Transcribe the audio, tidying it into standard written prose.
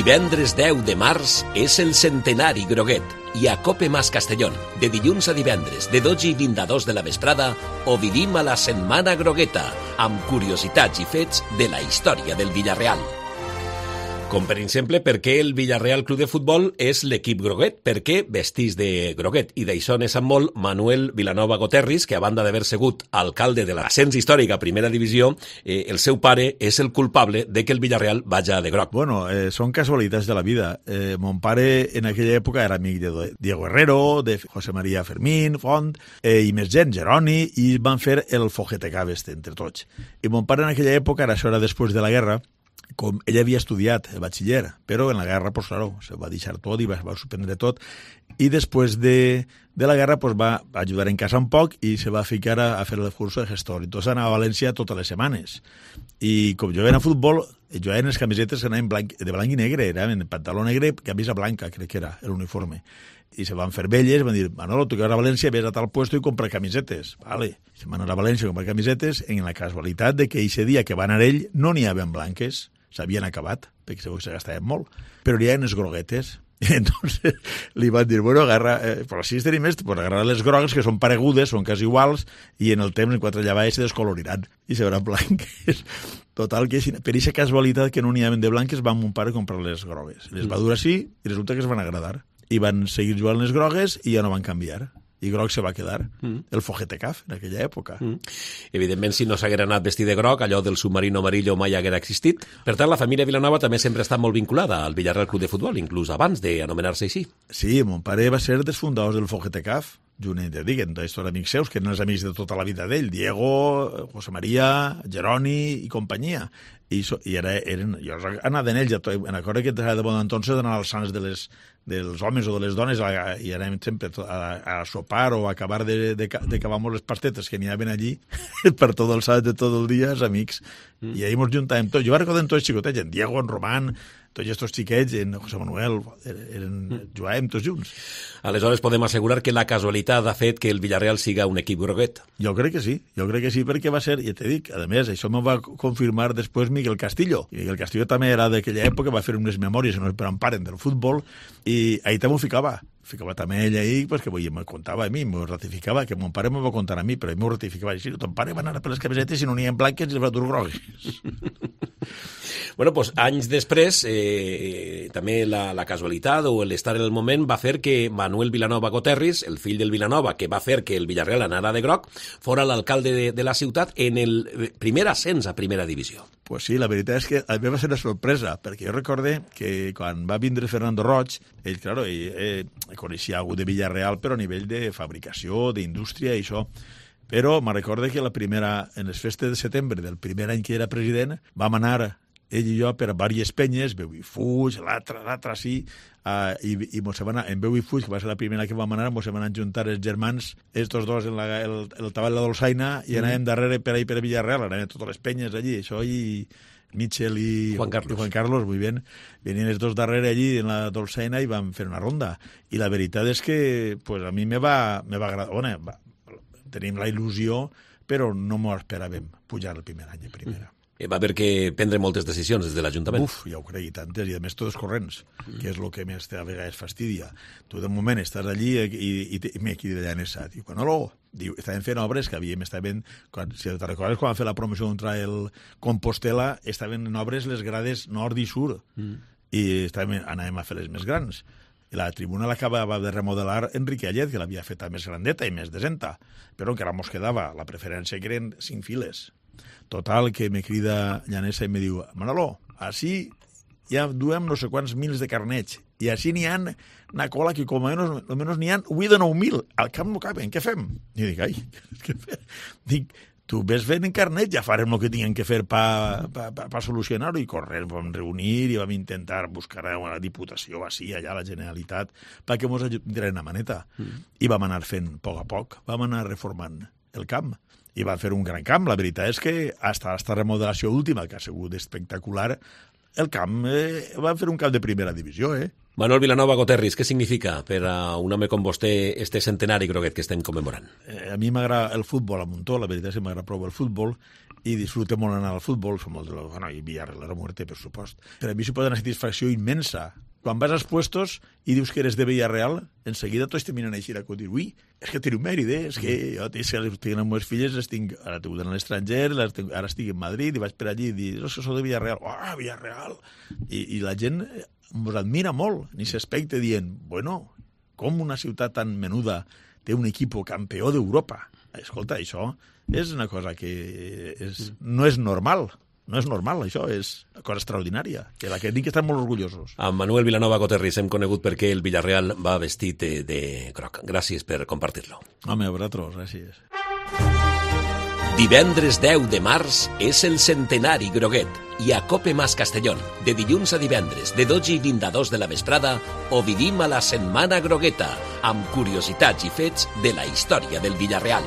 Divendres 10 de març és el centenari Groguet i a Cope Mas Castellón, de dilluns a divendres, de 12 i 22 de la vesprada, ho vivim a la Setmana Grogueta, amb curiositats i fets de la història del Villarreal. Com per exemple, per què el Villarreal Club de Futbol és l'equip groguet, per què vestís de groguet. I d'això ne sap molt Manuel Vilanova Goterris, que a banda d'haver sigut alcalde de l'ascens històric a Primera Divisió, el seu pare és el culpable de que el Villarreal vaja de groc. Bueno, són casualitats de la vida. Mon pare en aquella època era amic de Diego Herrero, de José María Fermín, Font, i més gent, Geroni, i van fer el Fogetecab entre tots. I mon pare en aquella època, això era després de la guerra, com ell havia estudiat el batxiller, però en la guerra, pues, claro, se va deixar tot i va suspendre tot, i després de la guerra pues, va ajudar en casa un poc i se va ficar a fer el curs de gestor. Entonces anava a València totes les setmanes. I com jo era a futbol, jo en les camisetes anaven de blanc i negre, era en pantaló negre, camisa blanca, crec que era l'uniforme. I se van fer velles, van dir, Manolo, tu que vas a València, ves a tal puesto i compra camisetes. Vale. Se van anar a València a comprar camisetes en la casualitat de que aquest dia que va anar ell no n'hi havia blanques, s'havien acabat, perquè segur que se gastaven molt, però hi havia les groguetes. I entonces li van dir, bueno, agarra, però si tenim esto, pues agarra les grogues, que són paregudes, són quasi iguals, i en el temps, en quatre llavaves, se descoloriran, i se veran blanques. Total, que per aquesta casualitat que no n'hi havia de blanques, va mon pare a comprar les grogues. Les va dur així, i resulta que es van agradar. I van seguir jugant les grogues, i ja no van canviar. I groc se va quedar, el Fogetecab, en aquella època. Evidentment, si no s'haguera anat vestit de groc, allò del submarino amarillo mai haguera existit. Per tant, la família Vilanova també sempre ha estat molt vinculada al Villarreal Club de Futbol, inclús abans d'anomenar-se així. Sí, mon pare va ser dels fundadors del Fogetecab, junt de diguen, tots amics seus, que eren els amics de tota la vida d'ell, Diego, José María, Geroni i companyia. I eren, jo anava d'en ells, en acord que de bon entonces d'anar als sants dels homes o de les dones i anàvem sempre a sopar o a acabar de cavar les pastetes que n'hi havia allí per tot el sant de tot el dia, els amics. I ahir ens juntàvem tots. Jo recordo tots xicotets, en Diego, en Román, tots aquests xiquets, en José Manuel, jugàvem tots junts. Aleshores podem assegurar que la casualitat ha fet que el Villarreal siga un equip groguet. Jo crec que sí, perquè va ser, ja t'he dit, a més, això m'ho va confirmar després Miguel Castillo. I Miguel Castillo també era d'aquella època, va fer unes memòries que no esperen paren del futbol, i ahir també ho ficava també ell ahir, pues, que me contava a mi, m'ho ratificava, que mon pare m'ho va contar a mi, però ell m'ho ratificava així, ton pare va anar per les camisetes i no n'hi ha blanques i les va dur grogues. Bueno, doncs anys després, també la casualitat o l'estar en el moment va fer que Manuel Vilanova Goterris, el fill del Vilanova, que va fer que el Villarreal anara de groc, fora l'alcalde de la ciutat en el primer ascens a Primera Divisió. Pues sí, la veritat és que a mi va ser una sorpresa, perquè jo recorde que quan va vindre Fernando Roig, ell, claro, coneixia algú de Villarreal, però a nivell de fabricació, d'indústria i això. Però me recorde que en les festes de setembre del primer any que era president, vam anar ell i jo per diverses penyes, Veu i Fuig, l'altra sí, i mos van anar, en Veu i Fuig, que va ser la primera que vam anar, mos van anar a juntar els germans, estos dos en el tabal de la Dolçaina, i anàvem darrere per ahí per Villarreal, anàvem totes les penyes allí, això i Michel i Juan Carlos, muy bien, venien els dos darrere allí en la Dolçaina i vam fer una ronda. I la veritat és que pues, a mi me va agradar, bueno, tenim la il·lusió, però no m'ho esperàvem pujar el primer any de primera. Va haver que prendre moltes decisions des de l'Ajuntament. Uf, ja ho crec, i tantes, i a més totes corrents, que és el que més a vegades fastidia. Tu de moment estàs allí i m'he aquí d'allà en esa. Diu, diu, estàvem fent obres que estaven, si te recordes, quan vam fer la promoció contra el Compostela, estaven en obres les grades nord i sud, i anàvem a fer les més grans. I la tribuna l'acabava de remodelar Enrique Allet, que l'havia feta més grandeta i més decenta, però encara mos quedava la preferència que eren 5 files. Total, que me crida Llanesa i me diu, Manolo, així ja duem no sé quants mils de carnets, i així n'hi ha una cola que com a menys n'hi ha 8 o 9.000, al camp no caben, què fem? I dic, ai, què fem? Dic, tu ves fent en carnet, ja farem el que tinguem que fer per solucionar-ho, i corrent vam reunir i vam intentar buscar una diputació així, allà a la Generalitat, perquè ens ajudin una maneta. I vam anar fent a poc, vam anar reformant el camp. I van fer un gran camp. La veritat és que hasta esta remodelació última, que ha sigut espectacular, el camp van fer un camp de primera divisió, Manuel Vilanova Goterris, què significa per a un home com vostè este centenari groguet que estem commemorant? A mi m'agrada el futbol a muntó, la veritat és que m'agrada prou el futbol, i disfrute molt anar al futbol, som molt i Villarreal a muerte, per supost. Per a mi suposa una satisfacció immensa. Quan vas als puestos i dius que eres de Villarreal, enseguida tots te miren així, que dius, ui, és que teniu mèrit, és que jo tinc les meves filles, ara he tingut a l'estranger, ara estic en Madrid, i vaig per allí i dic, que sou de Villarreal, Villarreal! I la gent ens admira molt, en aquest aspecte, dient, bueno, com una ciutat tan menuda té un equip campió d'Europa? Escolta, això és una cosa que no és normal. No és normal, això és una cosa extraordinària, que la que tinc que estar molt orgullosos. A Manuel Vilanova Coterris hem conegut perquè el Villarreal va vestit de groc. Gràcies per compartir-lo. Home, a vosaltres, gràcies. Divendres 10 de març és el centenari groguet i a Cope Mas Castellón, de dilluns a divendres, de 12:20 a 2 de la vesprada, o vivim a la Setmana Grogueta, amb curiositats i fets de la història del Villarreal.